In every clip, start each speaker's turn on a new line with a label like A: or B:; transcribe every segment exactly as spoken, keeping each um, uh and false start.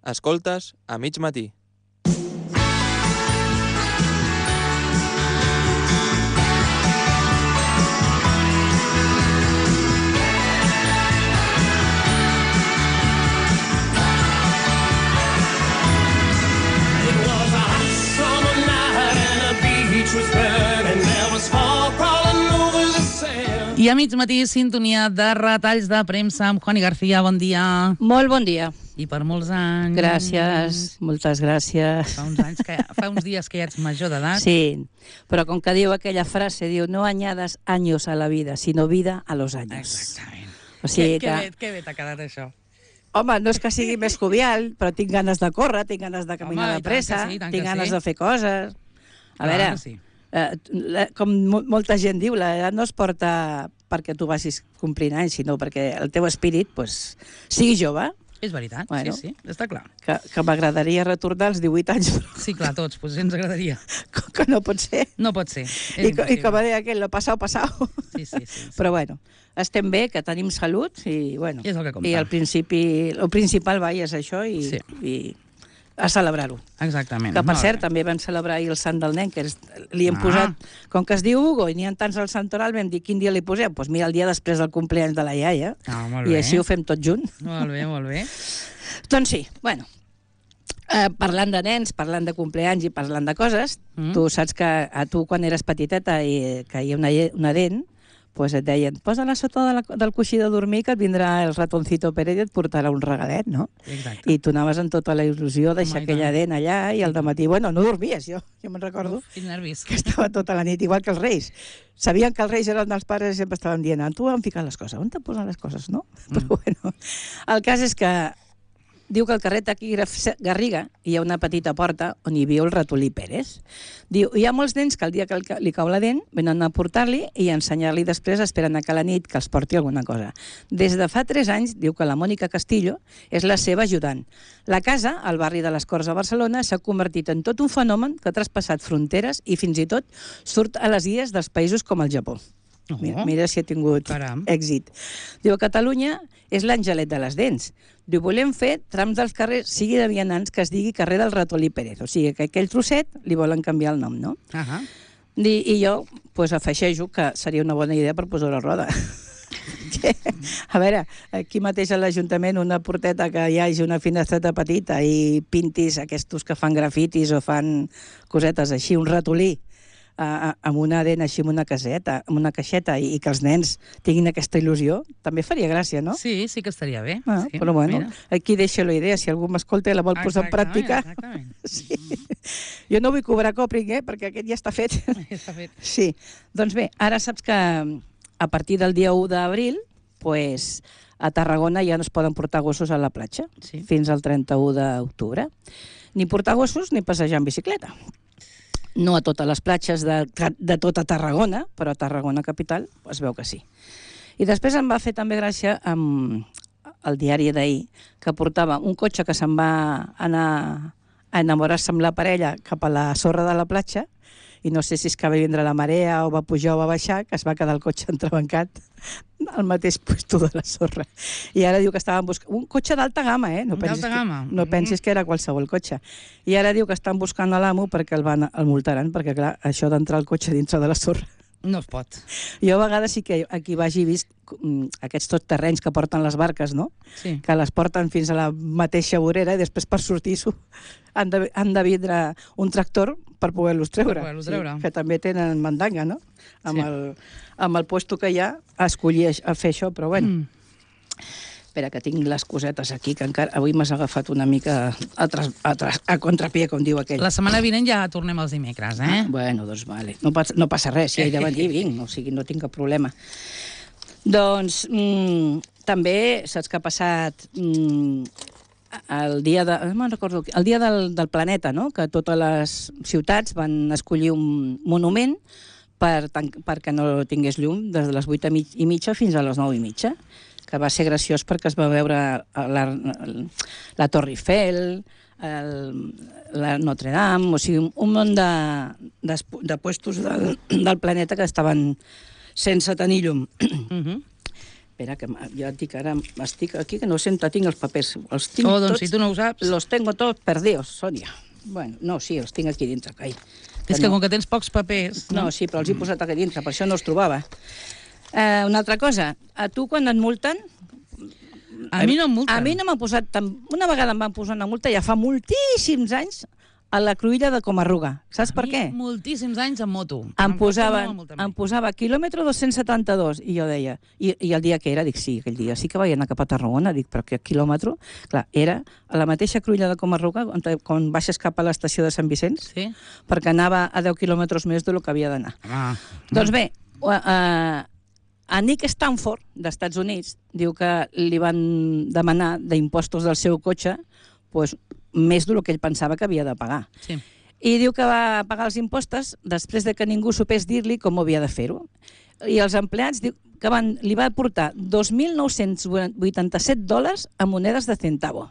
A: Escoltes a mig matí.
B: I a mig matí, sintonia de retalls de premsa amb Juani García. Bon dia.
C: Molt bon dia.
B: I per molts anys.
C: Gràcies, moltes gràcies.
B: Fa uns, anys que, fa uns dies que ja ets major d'edat.
C: Sí, però com que diu aquella frase, diu, no añadas años a la vida, sino vida a los años.
B: Exactament.
C: O sigui
B: que,
C: que...
B: que, bé, que bé t'ha quedat això.
C: Home, no és que sigui més jovial, però tinc ganes de córrer, tinc ganes de caminar
B: Home,
C: de pressa,
B: sí,
C: tinc ganes
B: sí.
C: de fer coses. A
B: Clar,
C: veure,
B: sí.
C: eh, la, com mo molta gent diu, l'edat no es porta perquè tu vagis complint anys, sinó perquè el teu espírit pues, sigui jove.
B: És veritat,
C: Bueno.
B: sí, sí, està clar.
C: Que, que m'agradaria retornar als divuit anys, però
B: Sí, clar, tots, doncs ens agradaria.
C: com que no pot ser.
B: No pot ser. És
C: I, co- I
B: impossible.
C: com deia aquell, lo passau, passau.
B: Sí, sí, sí, sí.
C: Però bueno, estem bé, que tenim salut i, bueno,
B: I és el que compta.
C: i al principi, el principal, vai, és això i,
B: Sí.
C: i a celebrar-ho.
B: Exactament.
C: Que, per
B: Molt
C: cert,
B: bé.
C: també vam celebrar ahir el sant del nen, que és, li hem
B: Ah.
C: posat, com que es diu Hugo i n'hi ha tants al santoral, vam dir quin dia li posem? Doncs pues mira, el dia després del compleanys de la iaia,
B: Ah, molt
C: i
B: bé.
C: així ho fem tot junt.
B: Molt bé, molt bé.
C: Doncs sí, bueno, eh, parlant de nens, parlant de compleanys i parlant de coses,
B: Mm.
C: tu saps que a tu quan eres petiteta i que hi ha una, lle- una dent, pues et deien, posa-la sota de la, del coixí de dormir que et vindrà el ratoncito Pérez i et portarà un regalet, no?
B: Exacte.
C: I tu anaves amb tota la il·lusió de deixar
B: Home, i
C: aquella
B: tant.
C: dent allà i al dematí, bueno, no dormies, jo, jo me'n recordo
B: Uf, quins nervis.
C: que estava tota la nit, igual que els reis. Sabien que els reis eren dels pares i sempre estaven dient, "Ah, tu on ficar les coses, on te posen les coses, no?"
B: Mm.
C: Però bueno, el cas és que diu que al carrer Taquígraf Garriga hi ha una petita porta on hi viu el ratolí Pérez. Diu, hi ha molts nens que el dia que li cau la dent venen a portar-li i a ensenyar-li després, esperen a que a la nit que els porti alguna cosa. Des de fa tres anys, diu que la Mònica Castillo és la seva ajudant. La casa, al barri de les Corts a Barcelona, s'ha convertit en tot un fenomen que ha traspassat fronteres i fins i tot surt a les guies dels països com el Japó.
B: Oh.
C: Mira, mira si ha tingut
B: Caram.
C: èxit. Diu, Catalunya és l'angelet de les dents. Diu, volem fer trams dels carrers, sigui de vianants, que es digui carrer del ratolí Pérez. O sigui, que aquell trosset li volen canviar el nom, no?
B: Ahà.
C: I, i jo pues, afegeixo que seria una bona idea per posar la roda. Que, a veure, aquí mateix a l'Ajuntament una porteta que hi hagi una finestreta petita i pintis aquests que fan grafitis o fan cosetes així, un ratolí, a, a, amb una dent així, amb una caseta, amb una caixeta, i, i que els nens tinguin aquesta il·lusió, també faria gràcia, no?
B: Sí, sí que estaria bé.
C: Ah,
B: sí,
C: però bueno,
B: mira.
C: aquí deixo la idea, si algú m'escolta i la vol posar en
B: Exactament,
C: pràctica.
B: Exactament.
C: Sí. Jo no vull cobrar còpring, eh, perquè aquest ja està fet.
B: Ja està fet.
C: Sí, doncs bé, ara saps que a partir del dia u d'abril, pues, a Tarragona ja no es poden portar gossos a la platja,
B: Sí.
C: fins al trenta-u d'octubre. Ni portar gossos ni passejar en bicicleta. No a totes les platges de, de tota Tarragona, però a Tarragona capital es veu que sí. I després em va fer també gràcia amb el diari d'ahir, que portava un cotxe que se'n va anar a enamorar-se amb la parella cap a la sorra de la platja, i no sé si és que va vindre la marea o va pujar o va baixar, que es va quedar el cotxe entrebancat al mateix puesto de la sorra. I ara diu que estaven buscant... Un cotxe d'alta gamma, eh? No pensis
B: D'alta gamma?
C: Que, no pensis que era qualsevol cotxe. I ara diu que estan buscant a l'amo perquè el, van, el multaran, perquè clar, això d'entrar el cotxe dintre de la sorra.
B: No es pot.
C: Jo a vegades sí que aquí vagi vist mm, aquests tot terrenys que porten les barques, no?
B: Sí.
C: Que les porten fins a la mateixa vorera i després per sortir-s'ho han de, han de vindre un tractor per poder-los treure.
B: Per poder-los treure.
C: Sí, que també tenen mandanga, no? Amb,
B: Sí.
C: el, amb el puesto que hi ha a escollir a fer això, però bueno.
B: Mm.
C: Espera, que tinc les cosetes aquí, que encara avui m'has agafat una mica a, tras, a, tras, a contrapié, com diu aquell.
B: La setmana vinent ja tornem els dimecres, eh?
C: Ah, bueno, doncs vale. No, passa, no passa res, si he de venir, vinc, o sigui, no tinc cap problema. Doncs mm, també saps que ha passat mm, el dia, de, no me'n recordo, el dia del, del planeta, no? Que totes les ciutats van escollir un monument per, perquè no tingués llum des de les vuit i mitja fins a les nou i mitja, que va ser graciós perquè es va veure la, la Torre Eiffel, el, la Notre Dame, o sigui, un munt de, de, de puestos del, del planeta que estaven sense tenir llum.
B: Uh -huh.
C: Espera, que m- ja et dic, ara estic aquí, que no sento, tinc els papers. Els tinc
B: Oh, doncs
C: tots,
B: si tu no ho saps...
C: Los tengo todos perdidos, Sònia. Bueno, no, sí, els tinc aquí dintre, cai.
B: És que com que tens pocs papers...
C: No, sí, però els he posat aquí dintre, per això no els trobava. Eh, una altra cosa, a tu quan et multen...
B: A mi no em multen.
C: A mi no m'han posat... Tan... Una vegada em van posar una multa, ja fa moltíssims anys, a la cruïlla de Comarruga. Saps per què?
B: Moltíssims anys en moto.
C: Em posaven,
B: No m'han multat mai.
C: em posava quilòmetre dos-cents setanta-dos, i jo deia, i, i el dia que era, dic, sí, aquell dia sí que vaig anar cap a Tarragona, dic, però que quilòmetre? Clar, era a la mateixa cruïlla de Comarruga, on, quan baixes cap a l'estació de Sant Vicenç,
B: Sí?
C: perquè anava a deu quilòmetres més del que havia d'anar.
B: Ah.
C: Doncs bé, uh, a Nick Stanford, d'Estats Units, diu que li van demanar d'impostos del seu cotxe pues, més del que ell pensava que havia de pagar.
B: Sí.
C: I diu que va pagar els impostos després de que ningú supés dir-li com havia de fer-ho. I els empleats diu que van, li va portar dos mil nou-cents vuitanta-set dòlars a monedes de centavo.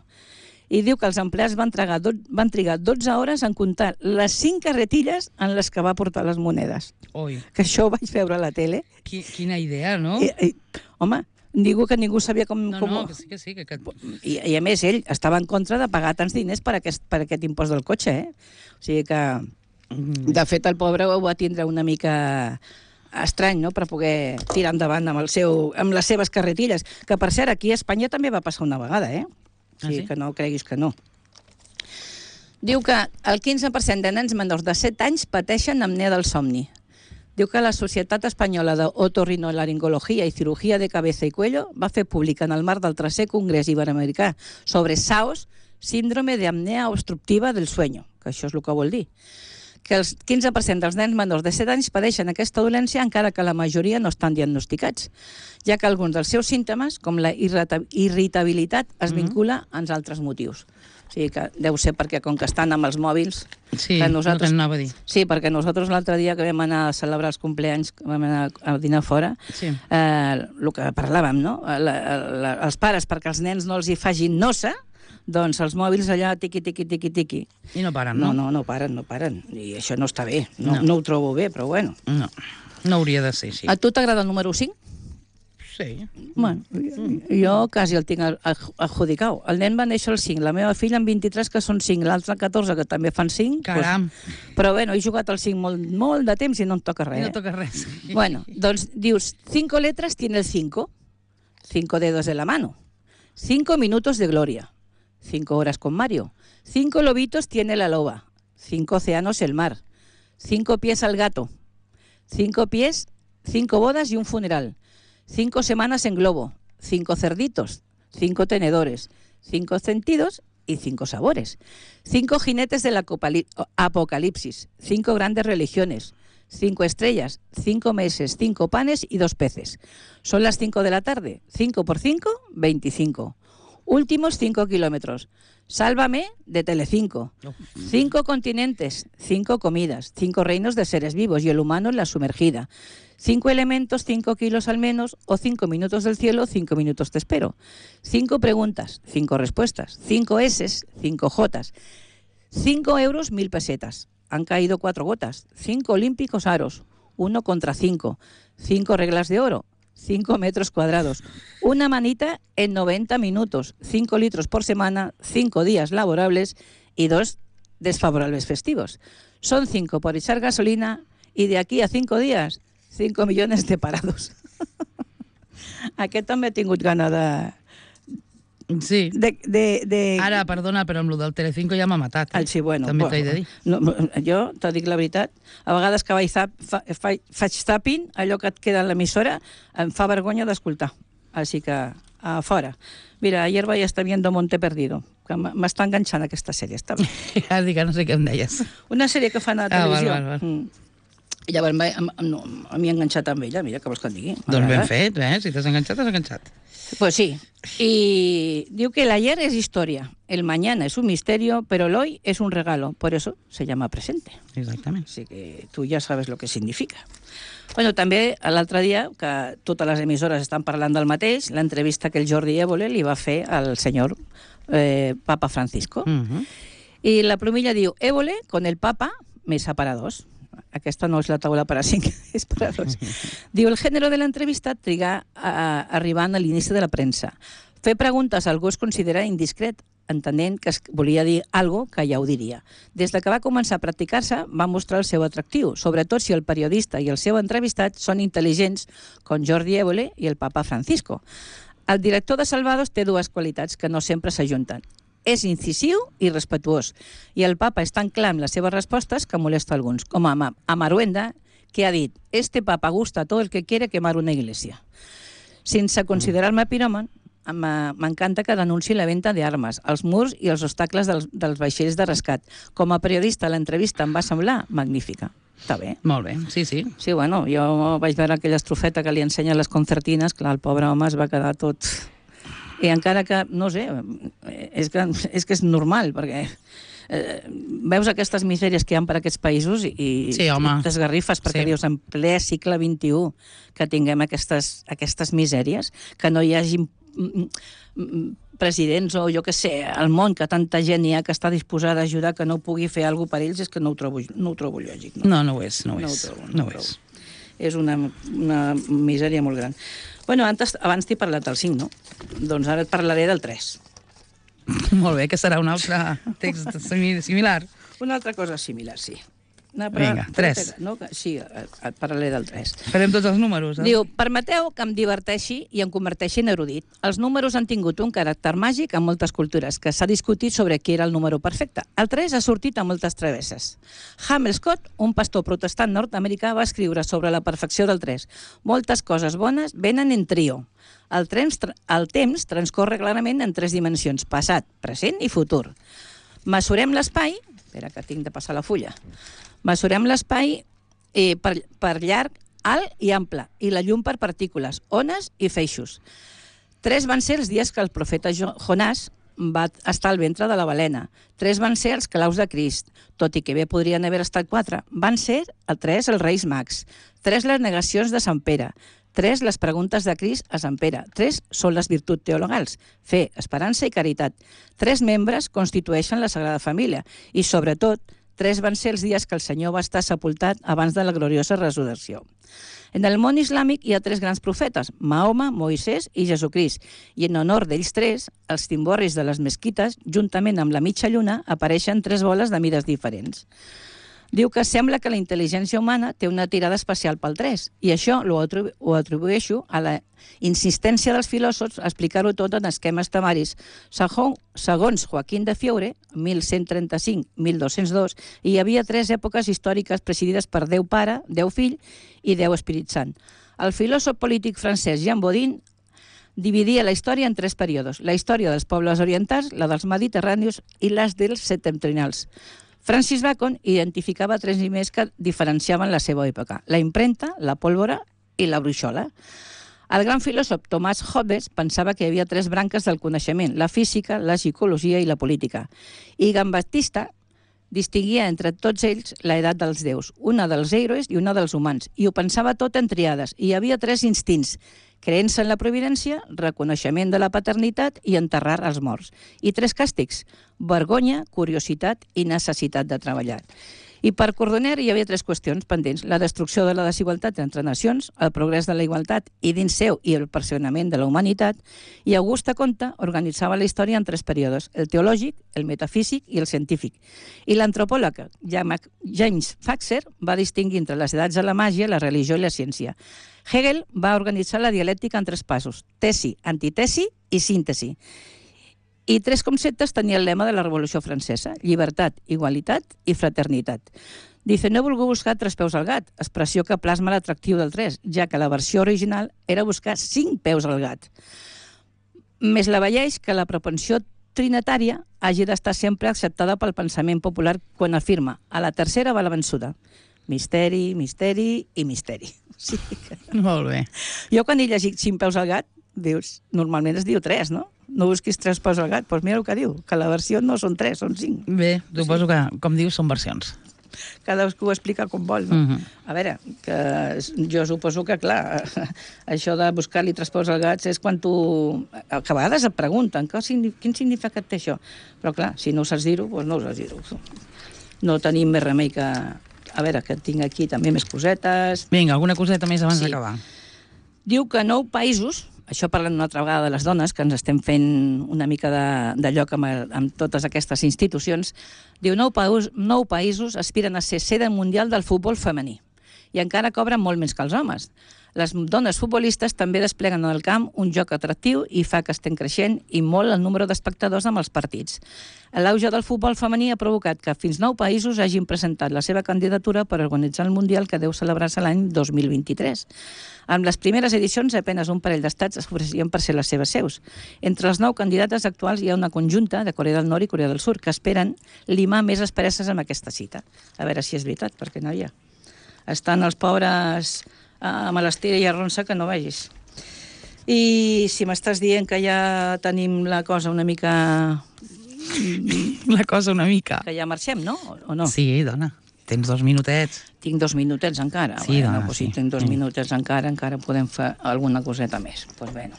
C: I diu que els empleats van, tragar, van trigar dotze hores en comptar les cinc carretilles en les que va portar les monedes.
B: Oi,
C: Que això ho vaig veure a la tele.
B: qui, quina idea, no?
C: I, i, home, diu que ningú sabia com...
B: No,
C: com...
B: no, que sí, que sí. Que, que...
C: I, I a més, ell estava en contra de pagar tants diners per aquest, per aquest impost del cotxe, eh? O sigui que, de fet, el pobre ho va tindre una mica estrany, no?, per poder tirar endavant amb, el seu, amb les seves carretilles. Que, per cert, aquí a Espanya també va passar una vegada, eh? O sigui,
B: Ah, sí?
C: que no creguis que no. Diu que el quinze per cent de nens menors de set anys pateixen apnea del somni. Diu que la Societat Espanyola d'Otorrinolaringologia i Cirugía de Cabeza i Cuello va fer públic en el marc del tercer Congrés Iberoamericà sobre S A O S, síndrome de apnea obstructiva del sueño, que això és el que vol dir. Que el quinze per cent dels nens menors de set anys padeixen aquesta dolència encara que la majoria no estan diagnosticats, ja que alguns dels seus símptomes, com la irrita- irritabilitat, es vincula als altres motius. O sigui que deu ser perquè com que estan amb els mòbils...
B: Sí,
C: que
B: nosaltres...
C: nosaltres-
B: no t'anava a dir.
C: Sí, perquè nosaltres l'altre dia que vam anar a celebrar els compleanys, que vam anar a dinar fora,
B: Sí.
C: eh, el que parlàvem, no? La, la, els pares, perquè els nens no els hi facin nosa, doncs els mòbils allà tiqui, tiqui, tiqui, tiqui.
B: I no paren,
C: No,
B: no?
C: no, no paren, no paren. I això no està bé. No,
B: No.
C: no. no ho trobo bé, però bueno.
B: No, no hauria de ser així.
C: A tu t'agrada el número cinc?
B: Sí.
C: Bueno, jo quasi el tinc adjudicat. El nen va néixer el cinc, la meva filla en vint-i-tres, que són cinc, l'altre catorze, que també fan cinc.
B: Caram.
C: Pues, però bueno, he jugat al cinc molt, molt de temps i no em toca res.
B: I no
C: eh?
B: toca res.
C: Bueno, doncs dius, cinco letras tiene el cinco, cinco dedos de la mano, cinco minutos de gloria, cinco horas con Mario, cinco lobitos tiene la loba, cinco océanos el mar, cinco pies al gato, cinco pies, cinco bodas y un funeral, cinco semanas en globo, cinco cerditos, cinco tenedores, cinco sentidos y cinco sabores, cinco jinetes del acopali- apocalipsis, cinco grandes religiones, cinco estrellas, cinco meses, cinco panes y dos peces. Son las cinco de la tarde. Cinco por cinco, veinticinco. Últimos cinco kilómetros. Sálvame de Telecinco. Cinco continentes, cinco comidas, cinco reinos de seres vivos y el humano en la sumergida. Cinco elementos, cinco kilos al menos, o cinco minutos del cielo, cinco minutos te espero. Cinco preguntas, cinco respuestas. Cinco S's, cinco J's. Cinco euros, mil pesetas. Han caído cuatro gotas. Cinco olímpicos aros. Uno contra cinco. Cinco reglas de oro. Cinco metros cuadrados. Una manita en noventa minutos. Cinco litros por semana. Cinco días laborables y dos desfavorables festivos. Son cinco por echar gasolina y de aquí a cinco días, cinco millones de parados. Aquest també he tingut gana de...
B: Sí.
C: de, de, de...
B: Ara, perdona, però amb el del Telecinco ja m'ha matat. Eh?
C: Ah, sí, bueno,
B: També
C: bueno,
B: t'he de dir.
C: No, jo te dic la veritat, a vegades que vaig zap, fa, fa, faig zapping, allò que et queda en l'emissora, em fa vergonya d'escoltar. Així que, a fora. Mira, ayer vaig estar viendo Monte Perdido, que m'està enganxant aquesta sèrie. Està bé.
B: Ja dic que no sé què em deies.
C: Una sèrie que fan a la
B: Ah, val,
C: televisió.
B: val, val.
C: Mm. I llavors em, em, no, a mi he enganxat amb ella, mira, que vols que et digui.
B: Doncs ben
C: M'agrada.
B: fet, eh? Si t'has enganxat, t'has enganxat.
C: Pues sí. Y digo que el ayer es historia, el mañana es un misterio, pero el hoy es un regalo. Por eso se llama presente.
B: Exactament.
C: Así que tú ya sabes lo que significa. Bueno, també l'altre dia, que totes les emissores estan parlant del mateix, l'entrevista que el Jordi Évole li va fer al senyor eh, Papa Francisco.
B: Uh -huh.
C: Y la plumilla diu, Évole con el Papa, mesa para dos. Aquesta no és la taula per a cinc, és per a dos. Diu, el gènere de l'entrevista trigar a, arribant a l'inici de la premsa. Fer preguntes a algú es considera indiscret, entenent que es volia dir alguna cosa que ja ho diria. Des de que va començar a practicar-se, va mostrar el seu atractiu, sobretot si el periodista i el seu entrevistat són intel·ligents, com Jordi Évole i el papa Francisco. El director de Salvados té dues qualitats que no sempre s'ajunten. És incisiu i respetuós, i el papa és tan clar amb les seves respostes que molesta alguns, com a, a Maruenda, que ha dit «Este papa gusta todo el que quiere quemar una iglesia». Sense considerar-me piròman, m'encanta que denunciï la venda d'armes, els murs i els obstacles dels, dels vaixells de rescat. Com a periodista, l'entrevista em va semblar magnífica. Està bé.
B: Molt bé, sí, sí.
C: Sí, bueno, jo vaig veure aquella estrofeta que li ensenya les concertines, clar, el pobre home es va quedar tot... I encara que, no sé, és que és, que és normal, perquè eh, veus aquestes misèries que hi ha per aquests països i,
B: sí,
C: i t'esgarrifes, perquè sí. Dius, en ple segle vint-i-u, que tinguem aquestes, aquestes misèries, que no hi hagi presidents o jo que sé, al món, que tanta gent hi ha que està disposada a ajudar, que no pugui fer alguna cosa per ells, és que no ho trobo, no ho trobo lògic. No,
B: no, no ho és, no ho
C: no
B: és.
C: Ho trobo,
B: no
C: no
B: ho és.
C: És una, una misèria molt gran. Bueno, antes, abans t'he parlat del cinc, no? Doncs ara et parlaré del tres.
B: Molt bé, que serà un altre text similar.
C: Una altra cosa similar, sí. No,
B: però, Vinga, tres.
C: No? Sí, et parlaré del tres.
B: Farem tots els números. Eh?
C: Diu, permeteu que em diverteixi i em converteixi en erudit. Els números han tingut un caràcter màgic en moltes cultures, que s'ha discutit sobre qui era el número perfecte. El tres ha sortit a moltes travesses. Hamel Scott, un pastor protestant nord-americà, va escriure sobre la perfecció del tres. Moltes coses bones venen en trio. El temps, el temps transcorre clarament en tres dimensions, passat, present i futur. Mesurem l'espai... Espera, que tinc de passar la fulla. Mesurem l'espai eh, per, per llarg, alt i ample, i la llum per partícules, ones i feixos. Tres van ser els dies que el profeta Jonàs va estar al ventre de la balena. Tres van ser els claus de Crist, tot i que bé podrien haver estat quatre. Van ser el tres els Reis Mags, tres les negacions de Sant Pere, tres les preguntes de Crist a Sant Pere, tres són les virtuts teologals, fe, esperança i caritat. Tres membres constitueixen la Sagrada Família i, sobretot, tres van ser els dies que el Senyor va estar sepultat abans de la gloriosa resurrecció. En el món islàmic hi ha tres grans profetes, Mahoma, Moisès i Jesucrist, i en honor d'ells tres, els timborris de les mesquites, juntament amb la mitja lluna, apareixen tres boles de mides diferents. Diu que sembla que la intel·ligència humana té una tirada especial pel tres, i això ho atribueixo a la insistència dels filòsofs a explicar-ho tot en esquemes temaris. Segons Joaquín de Fiore, mil cent trenta-cinc a mil dos-cents dos, hi havia tres èpoques històriques presidides per Déu Pare, Déu Fill i Déu Espírit Sant. El filòsof polític francès Jean Bodin dividia la història en tres períodes: la història dels pobles orientals, la dels mediterranis i les dels septentrionals. Francis Bacon identificava tres primers que diferenciaven la seva època: la impremta, la pólvora i la bruixola. El gran filòsof Thomas Hobbes pensava que hi havia tres branques del coneixement: la física, la psicologia i la política. I Giambattista distingia entre tots ells l'edat dels déus, una dels héroes i una dels humans, i ho pensava tot en triades. Hi havia tres instints: creença en la providència, reconeixement de la paternitat i enterrar els morts. I tres càstigs: vergonya, curiositat i necessitat de treballar. I per Cordoner hi havia tres qüestions pendents: la destrucció de la desigualtat entre nacions, el progrés de la igualtat i dins seu i el perfeccionament de la humanitat. I Auguste Comte organitzava la història en tres períodes: el teològic, el metafísic i el científic. I l'antropòleg James Faxer va distingir entre les edats de la màgia, la religió i la ciència. Hegel va organitzar la dialèctica en tres passos: tesi, antitesi i síntesi. I tres conceptes tenia el lema de la Revolució Francesa: llibertat, igualitat i fraternitat. Dice, no he volgut buscar tres peus al gat, expressió que plasma l'atractiu del tres, ja que la versió original era buscar cinc peus al gat. Més la veieix que la propensió trinitària hagi d'estar sempre acceptada pel pensament popular quan afirma: a la tercera va la vençuda. Misteri, misteri i misteri. Sí que...
B: Molt bé.
C: Jo quan he llegit cinc peus al gat, dius, normalment es diu tres, no? No busquis tres peus al gat, doncs mira el que diu, que la versió no són tres, són cinc.
B: Bé, suposo que, com dius, són versions.
C: Cadascú ho explica com vol, no? Uh-huh. A veure, que jo suposo que, clar, això de buscar-li tres peus al gat és quan tu... Que a vegades et pregunten quin significat té això. Però, clar, si no ho saps dir-ho, doncs no ho saps dir-ho. No tenim més remei que a veure, que tinc aquí també més cosetes.
B: Vinga, alguna coseta més abans
C: Sí.
B: d'acabar.
C: Diu que nou països, això parlant una altra vegada de les dones, que ens estem fent una mica de, de lloc amb, el, amb totes aquestes institucions, diu nou, països, nou països aspiren a ser sede mundial del futbol femení i encara cobren molt més que els homes. Les dones futbolistes també despleguen en el camp un joc atractiu i fa que estem creixent i molt el número d'espectadors amb els partits. L'auge del futbol femení ha provocat que fins nou països hagin presentat la seva candidatura per organitzar el Mundial que deu celebrar-se l'any dos mil vint-i-tres. Amb les primeres edicions, apenas un parell d'estats es ofereixen per ser les seves seus. Entre els nou candidates actuals hi ha una conjunta de Corea del Nord i Corea del Sud que esperen limar més asperesses amb aquesta cita. A veure si és veritat, perquè no hi ha. Estan els pobres amb l'estira i arronsa que no vegis. I si m'estàs dient que ja tenim la cosa una mica...
B: La cosa una mica.
C: Que ja marxem, no? O no?
B: Sí, dona. Tens dos minutets.
C: Tinc dos minutets encara.
B: Sí,
C: bueno,
B: dona,
C: pues si
B: sí.
C: tinc dos
B: Sí.
C: minutets encara, encara podem fer alguna coseta més. Doncs pues bueno.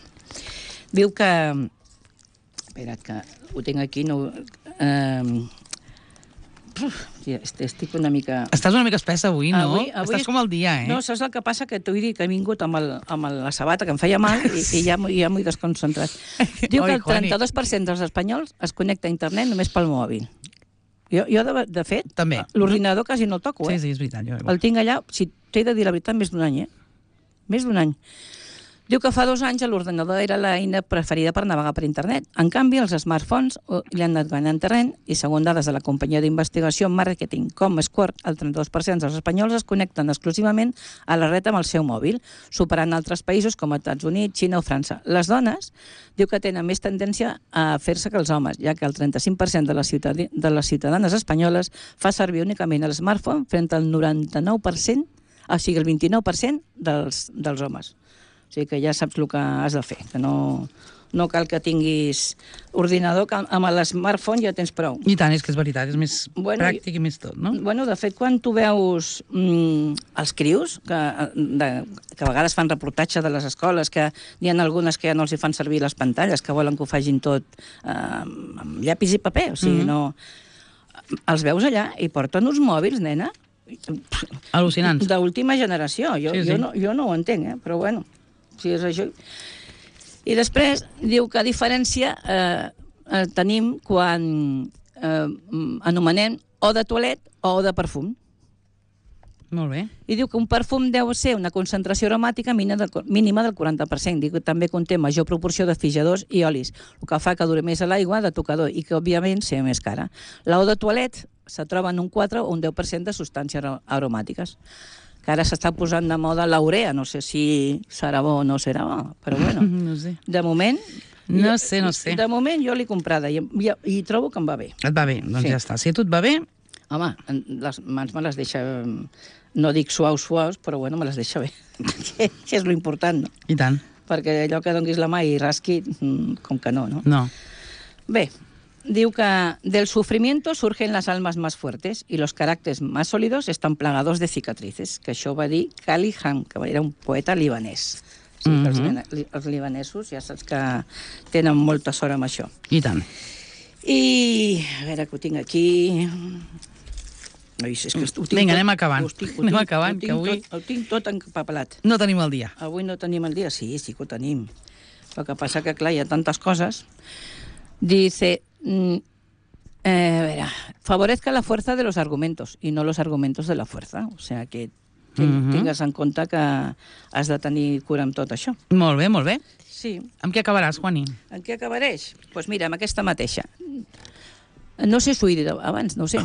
C: Diu que... Espera't, que ho tinc aquí. No... Eh... Uf, estic una mica...
B: Estàs una mica espessa avui, no?
C: Avui, avui
B: Estàs com el dia, eh?
C: No, saps el que passa? Que t'ho he dit que he vingut amb, el, amb la sabata, que em feia mal, i, i ja, m'ho- ja m'ho he desconcentrat. Diu que
B: Oi,
C: el
B: Juani.
C: trenta-dos per cent dels espanyols es connecta a internet només pel mòbil. Jo, jo de, de fet,
B: També.
C: l'ordinador quasi no el toco,
B: Sí,
C: eh?
B: sí, és veritat. Jo...
C: El tinc allà, si t'he de dir la veritat, més d'un any, eh? Més d'un any. Diu que fa dos anys l'ordenador era l'eina preferida per navegar per internet. En canvi, els smartphones oh, li han anat guanyant terreny i, segons dades de la companyia d'investigació Marketing Comscore, el trenta-dos per cent dels espanyols es connecten exclusivament a la red amb el seu mòbil, superant altres països com els Estats Units, Xina o França. Les dones diu que tenen més tendència a fer-se que els homes, ja que el trenta-cinc per cent de les, ciutad de les ciutadanes espanyoles fa servir únicament el smartphone front al noranta-nou per cent, o sigui, el vint-i-nou per cent dels, dels homes. O sigui que ja saps el que has de fer, que no, no cal que tinguis ordinador, que amb l'smartphone ja tens prou.
B: I tant, és que és veritat, és més
C: Bueno,
B: pràctic i més tot, no?
C: Bueno, de fet, quan tu veus mm, els crius, que, de, que a vegades fan reportatge de les escoles, que n'hi ha algunes que ja no els hi fan servir les pantalles, que volen que ho facin tot eh, amb llapis i paper, o sigui, mm-hmm. no... Els veus allà i porten uns mòbils, nena,
B: Al·lucinants.
C: d'última generació. Jo,
B: Sí, sí.
C: jo, no, jo no ho entenc, eh? Però bueno, si és això... I després diu que a diferència eh, eh, tenim quan eh, anomenem o de toalet o de perfum.
B: Molt bé.
C: I diu que un perfum deu ser una concentració aromàtica mínima del quaranta per cent. Diu que també conté major proporció de fixadors i olis, el que fa que duri més a l'aigua de tocador i que, òbviament, sigui més cara. L'ou de toalet se troba en un quatre o un deu per cent de substàncies aromàtiques. Que ara s'està posant de moda l'urea. No sé si serà bo o no serà bo, però bueno.
B: No sé.
C: De moment...
B: No sé, no sé.
C: De moment jo l'he comprada i, i, i trobo que em va bé.
B: Et va bé, doncs
C: Sí.
B: ja està. Si a tu et va bé,
C: Home, les mans me les deixa... No dic suaus, suaus, però bueno, me les deixa bé. que, que és lo important, no?
B: i tant.
C: Perquè allò que donguis la mà i rasqui, com que no, no?
B: No.
C: Bé, diu que del sufrimiento surgen las almas más fuertes y los caràcters más sólidos están plagados de cicatrices, que això va dir Khalil Ham, que era un poeta libanès. Sí, mm -hmm. els, li- els libanesos ja saps que tenen molta sort amb això.
B: I tant.
C: I, a veure, que ho tinc aquí... Ai, és que ho tinc
B: Vinga,
C: tot-
B: anem acabant.
C: ho tinc- ho
B: Anem
C: tinc-
B: acabant,
C: ho tinc
B: que avui-
C: Tot, ho tinc tot empapelat.
B: No tenim el dia.
C: Avui no tenim el dia? Sí, sí que ho tenim. El que passa que, clar, hi ha tantes coses. Dice... Mm, eh, a veure, favorezca la fuerza de los argumentos y no los argumentos de la fuerza. O sea que
B: Mhm.
C: tingues en compte que has de tenir cura amb tot això.
B: Molt bé, molt bé.
C: Sí.
B: Amb què acabaràs, Juani?
C: En què acabareix? Doncs pues mira, amb aquesta mateixa. No sé si ho he dit abans, no ho sé.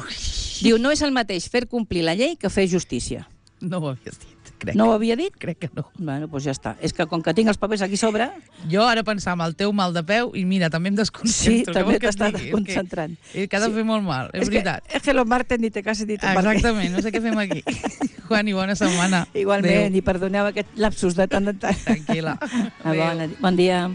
C: Diu, no és el mateix fer complir la llei que fer justícia.
B: No ho havies dit, crec.
C: No ho havia dit?
B: Crec que no.
C: Bueno, doncs ja està. És que com que tinc els papers aquí sobre...
B: Jo ara pensava el teu mal de peu i mira, també em
C: Sí,
B: desconcentro. Què
C: també
B: vols que et
C: t'està
B: digui? És que-
C: desconcentrant.
B: És que ha de
C: Sí.
B: fer molt mal, és,
C: És
B: veritat.
C: Que, és que los martes ni te cases ni te embarques.
B: Exactament, no sé què fem aquí. Juani, bona setmana.
C: Igualment,
B: Adéu.
C: i perdoneu aquest lapsus de tant en tant.
B: Tranquil·la.
C: Ah, Bon, bon dia.